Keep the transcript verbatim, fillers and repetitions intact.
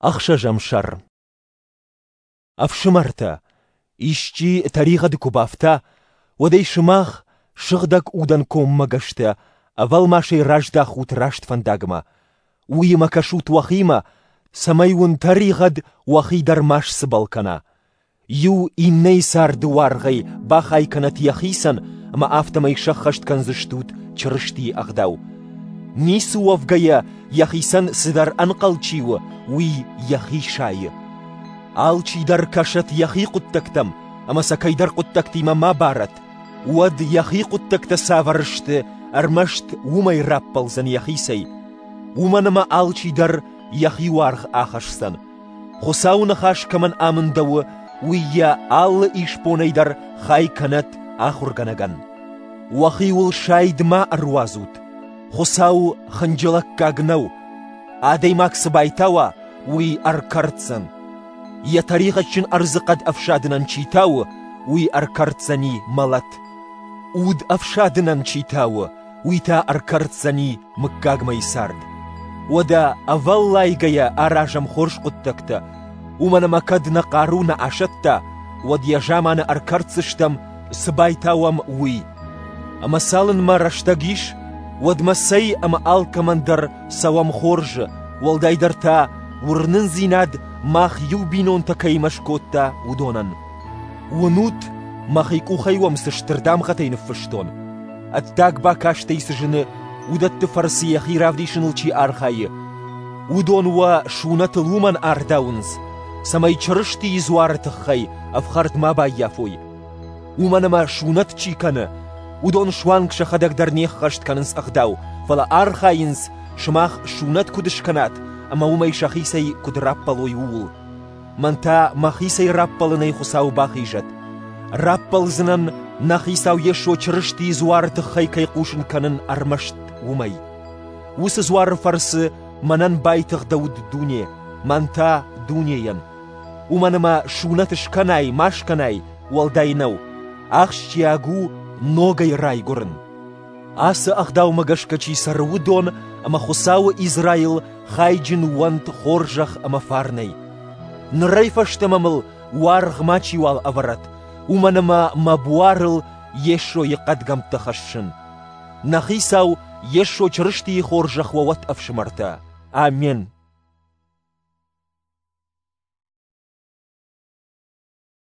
Ӕхсӕзӕм сӕр. Ӕфсымӕртӕ, исчи тӕригъӕды куы бафта, уӕд ӕй сымах, сыгъдӕг удӕн коммӕгӕстӕ, ӕвӕлмасӕй раздахут раст фӕндагмӕ. Уыимӕ кӕсут уӕхимӕ, цӕмӕй уын тӕригъӕд уӕхи дӕр ма сцыбӕл кӕна. Иу иннӕйы царды уаргъӕй бахай кӕнӕт йӕхицӕн, ӕмӕ афтӕмӕй сӕххӕст кӕндзыстут Чырыстийы ӕгъдау. Ницы уӕвгӕйӕ йӕхицӕн цыдӕр ӕнхъӕл чи у, уый йӕхи сайы. Алчидӕр кӕсӕт йӕхи хъуыддӕгтӕм ӕмӕ сӕ кӕйдӕр хъуыддӕгтимӕ ма барӕт, уӕд йӕхи хъуыддӕгтӕ цавӕр сты, ӕрмӕст уымӕй раппӕлдзӕн йӕхицӕй. Уымӕн ӕмӕ алчидӕр йӕхи уаргъ ахӕсдзӕн. Хуыцауы ныхас кӕмӕн амындӕуы, уый йӕ алы исбонӕй дӕр хай кӕнӕт ахуыргӕнӕгӕн. Уӕхиуыл сайд ма ӕруадзут. Хуыцау хынджылӕггаг нӕу. Адӕймаг цы байтауа, уый ӕркӕрддзӕн. Йӕ тӕригъӕдджын ӕрдзыхъӕд ӕфсадынӕн чи тауы, уый ӕркӕрддзӕни мӕлӕт. Уд ӕфсадынӕн чи тауы, уый та ӕркӕрддзӕни мыггагмӕйы цард. Уӕдӕ ӕвӕллайгӕйӕ аразӕм хорз хъуыддӕгтӕ, уымӕн ӕмӕ кӕд нӕ хъару нӕ асӕтта, уӕд йӕ заманы ӕркӕрддзыстӕм, цы байтауӕм, уый. Ӕмӕ цалынмӕ рӕстӕг ис, уӕдмӕ цӕй ӕмӕ алкӕмӕн дӕр цӕуӕм хорзы, уӕлдайдӕр та уырнындзинад мах иу бинонтӕ кӕимӕ скодта, уыдонӕн. Уынут, мӕхи къухӕй уӕм цы стыр дамгъӕтӕй ныффыстон. Ӕддаг бакастӕй цы зыны, уыдӕтты фӕрцы йӕхи равдисыныл чи архайы, уыдон уӕ сунӕтыл уымӕн ардауынц, цӕмӕй Чырыстийы дзуары тыххӕй ӕфхӕрд ма баййафой. Уымӕн ӕмӕ сунӕт чи кӕны, уыдон суанг сӕхӕдӕг дӕр не ххӕст кӕнынц ӕгъдау, фӕлӕ архайынц, сымах сунӕт куыд скӕнат ӕмӕ уымӕй сӕхицӕй куыд раппӕлой, ууыл. Мӕн та мӕхицӕй раппӕлынӕй Хуыцау бахизӕд. Раппӕлдзынӕн, нӕ Хицау Йесо Чырыстийы дзуары тыххӕй кӕй хъусын кӕнын ӕрмӕст уымӕй. Уыцы дзуары фӕрцы мӕнӕн байтыгъдӕуыд дуне, мӕн та дунейӕн. Уымӕн ӕмӕ сунӕт скӕнай, ма скӕнай, уӕлдай нӕу. Ахсджиаг у ногӕй райгуырын. Ацы ӕгъдаумӕ гӕсгӕ чи цӕры, уыдон ӕмӕ Хуыцауы Израил хайджын уӕнт хорзӕх ӕмӕ фарнӕй. Нырӕй фӕстӕмӕ мыл уаргъ мачиуал ӕвӕрӕд, уымӕн ӕмӕ мӕ буарыл Йесойы хъӕдгӕмттӕ хӕссын. Нӕ Хицау Йесо Чырыстийы хорзӕх уӕ уӕд, ӕфсымӕртӕ. Амен.